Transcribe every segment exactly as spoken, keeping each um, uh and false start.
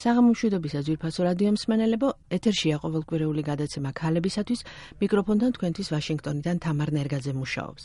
საღამომშვიდობისა ძვირფასო რადიო მსმენელებო, ეთერშია ყოველკვირეული გადაცემა ქალებისათვის, მიკროფონთან თქვენთვის ვაშინგტონიდან თამარ ნერგაძე მუშაობს.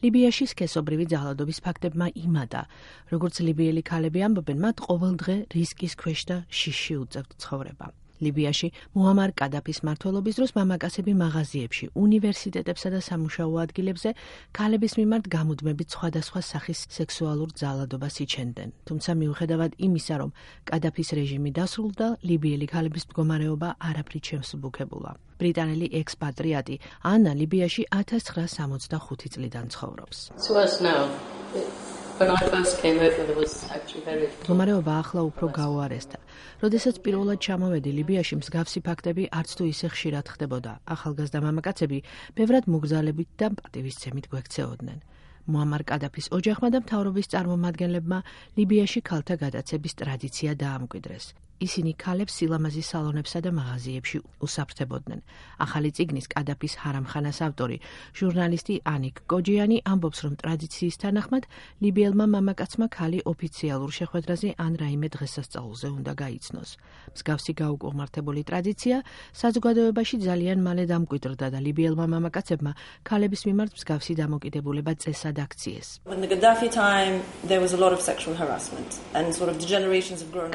ლიბიაში სქესობრივი ძალადობის ფაქტებმა იმადა, როგორც ლიბიელი ქალები ამბობენ, მათ ყოველდღე რისკის ქვეშ და შიშში უწევთ ცხოვრება. ლიბიაში მუამარ კადაფის მმართველობის დროს მამაკაცები მაღაზიებში, უნივერსიტეტებსა და სამუშაო ადგილებზე ქალების მიმართ გამუდმებით სხვადასხვა სახის სექსუალურ ძალადობას იჩენდნენ. თუმცა მიუხედავად იმისა, რომ კადაფის რეჟიმი დასრულდა, ლიბიელი ქალების მდგომარეობა არაფრით შემსუბუქებულა. ბრიტანელი ექსპატრიატი ანა ლიბიაში ათას ცხრაასა სამოცდახუთი წლიდან ცხოვრობს. მდგომარეობა ახლა უფრო გაუარესდა. როდესაც პირველად ჩამოვედი ლიბიაში, მსგავსი ფაქტები არც თუ ისე ხშირად ხდებოდა. ახალგაზრდა მამაკაცები ბევრად მოგზალებით და პატივისცემით გვექცეოდნენ. მუამარ კადაფის ოჯახმა და მთავრობის წარმომადგენლებმა ლიბიაში ქალთა გადაცების ტრადიცია დაამკვიდრეს. ისინი ქალებს სილამაზის სალონებსა და მაღაზიებში უსაფრთხებოდნენ. ახალი წიგნის კადაფის ჰარამხანას ავტორი, ჟურნალისტი ანიკ კოჯიანი ამბობს, რომ ტრადიციის თანახმად ლიბიელმა მამაკაცმა ქალი ოფიციალურ შეხვედრაზე ან რაიმე დღესასწაულზე უნდა გაიცნოს. მსგავსი გაუკუღმართებული ტრადიცია საზოგადოებაში ძალიან მალე დამკვიდრდა და ლიბიელმა მამაკაცებმა ქალების მიმართ მსგავსი დამოკიდებულება წესად აქციეს.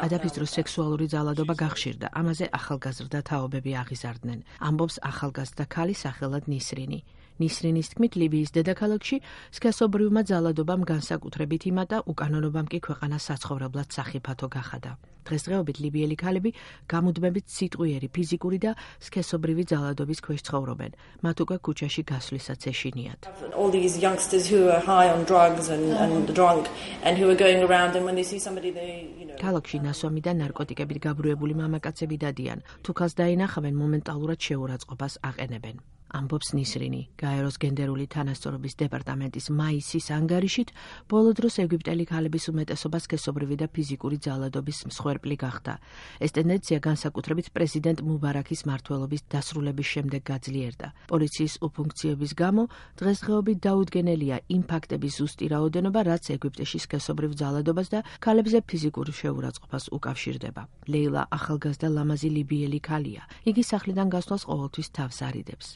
კადაფის დროს სექსუალური ძალადობა გახშირდა, ამაზე ახალგაზრდა თაობები აღიზარდნენ. ამბობს ახალგაზრდა ქალი სახელად ნისრინი. ნისრინის თქმით, ლიბიის დედაქალაქში სქესობრივმა ძალადობამ განსაკუთრებით იმატა, უკანონობამ კი ქვეყანა საცხოვრებლად სახიფათო გახადა. დღესდღეობით ლიბიელი ქალები გამუდმებით სიტყვიერი, ფიზიკური და სქესობრივი ძალადობის ქვეშ ცხოვრობენ. მათ უკვე ქუჩაში გასვლისაც ეშინიათ. ქალაქში ნასვამი და ნარკოტიკებით გაბრუებული მამაკაცები დადიან. თუ ქალს დაინახავენ, მომენტალურად შეურაცხყოფას აყენებენ. ამბობს ნისრინი. გაეროს გენდერული თანასწორობის დეპარტამენტის მაისის ანგარიშით, ბოლო დროს ეგვიპტელი ქალების უმეტესობა სქესობრივი და ფიზიკური ძალადობის მსხვერპლი გახდა. ეს ტენდენცია განსაკუთრებით პრეზიდენტ მუბარაქის მმართველობის დასრულების შემდეგ გაძლიერდა. პოლიციის უფუნქციების გამო დღესდღეობით დაუდგენელია იმ ფაქტების ზუსტი რაოდენობა, რაც ეგვიპტეში სქესობრივ ძალადობას და ქალებზე ფიზიკურ შეურაცხყოფას უკავშირდება. ლეილა ახალგაზრდა ლამაზი ლიბიელი ქალია. იგი სახლიდან გასვლას ყოველთვის თავს არიდებს.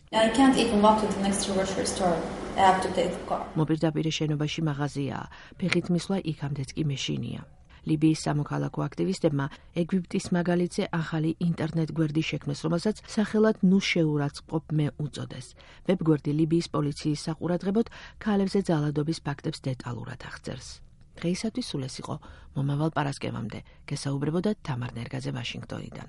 მოპირდაპირე შენობაში მაღაზიაა, ფეხით მისვლა იქამდეც კი მეშინია. ლიბიის სამოქალაქო აქტივისტებმა ეგვიპტის მაგალითზე ახალი ინტერნეტ გვერდი შექმნეს, რომელსაც სახელად ნუ შეურაცხყოფ მე უწოდეს. ვებგვერდი ლიბიის პოლიციის საყურადღებოდ ქალებზე ძალადობის ფაქტებს დეტალურად აღწერს. დღეისათვის სულ ეს იყო. მომავალ პარასკევამდე გესაუბრებოდა თამარ ნერგაძე ვაშინგტონიდან.